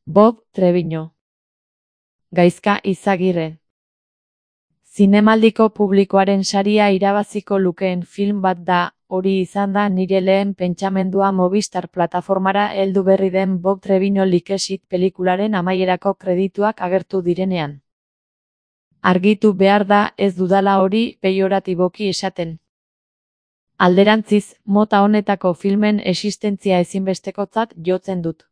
Bob Treviño. Gaizka Izagirre. Zinemaldiko publikoaren saria irabaziko lukeen film bat da, hori izan da nire lehen pentsamendua Movistar plataformara heldu berri den Bob Treviño Like-It pelikularen amaierako kredituak agertu direnean. Argitu behar da ez dudala hori peioratiboki esaten. Alderantziz, mota honetako filmen existentzia ezinbestekotzat jotzen dut.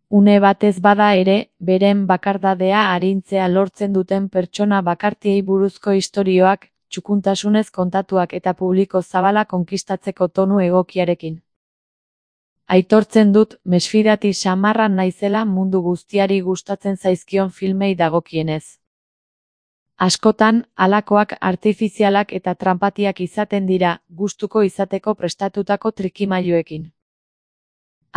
Une batez bada ere, beren bakardadea arintzea lortzen duten pertsona bakartiei buruzko istorioak, txukuntasunez kontatuak eta publiko zabala konkistatzeko tonu egokiarekin. Aitortzen dut, mesfidati samarra naizela mundu guztiari gustatzen zaizkion filmei dagokienez. Askotan, halakoak artifizialak eta tranpatiak izaten dira, gustuko izateko prestatutako trikimailuekin.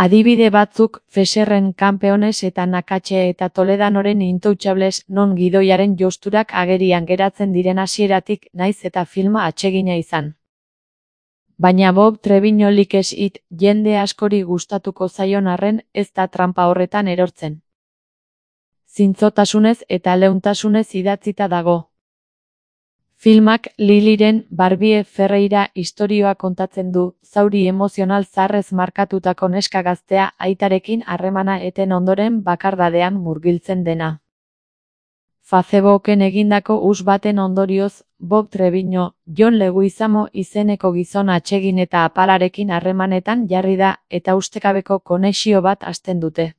Adibide batzuk, Fesserren Campeones eta Nakatxe eta Toledanoren Intouchables non gidoiaren josturak agerian geratzen diren hasieratik naiz eta filma atsegina izan. Baina Bob Treviño Like-It jende askori gustatuko zaion arren ez da tranpa horretan erortzen. Zintzotasunez eta leuntasunez idatzita dago. Filmak Liliren Barbie Ferreira istorioa kontatzen du, zauri emozional zaharrez markatutako neska gaztea aitarekin harremana eten ondoren bakardadean murgiltzen dena. Facebooken egindako us baten ondorioz, Bob Treviño, John Leguizamo izeneko gizon atsegin eta apalarekin harremanetan jarri da eta ustekabeko konexio bat hasten dute.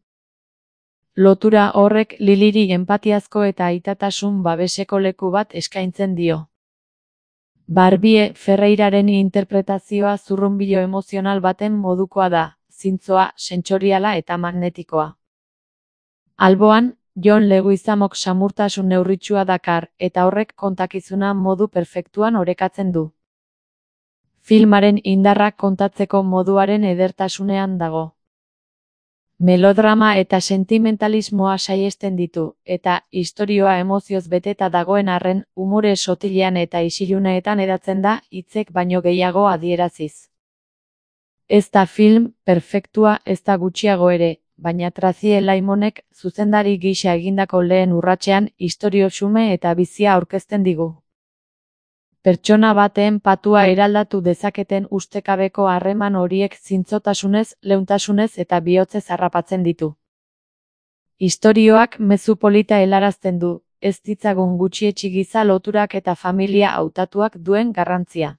Lotura horrek Liliri enpatiazko eta aitatasun babeseko leku bat eskaintzen dio. Barbie Ferreiraren interpretazioa zurrunbilo emozional baten modukoa da, zintzoa, sentsoriala eta magnetikoa. Alboan, John Leguizamok samurtasun neurritsua dakar, eta horrek kontakizuna modu perfektuan orekatzen du. Filmaren indarrak kontatzeko moduaren edertasunean dago. Melodrama eta sentimentalismoa saihesten ditu, eta istorioa emozioz beteta dagoen arren, umore sotilean eta isiluneetan hedatzen da hitzek baino gehiago adieraziz. Ez da film perfektua ez da gutxiago ere, baina Tracie Limonek zuzendari gisa egindako lehen urratsean istorio xume eta bizia aurkezten digu. Pertsona baten patua eraldatu dezaketen ustekabeko harreman horiek zintzotasunez, leuntasunez eta bihotzez harrapatzen ditu. Istorioak mezu polita helarazten du, ez ditzagun gutxietsi giza loturak eta familia hautatuak duen garrantzia.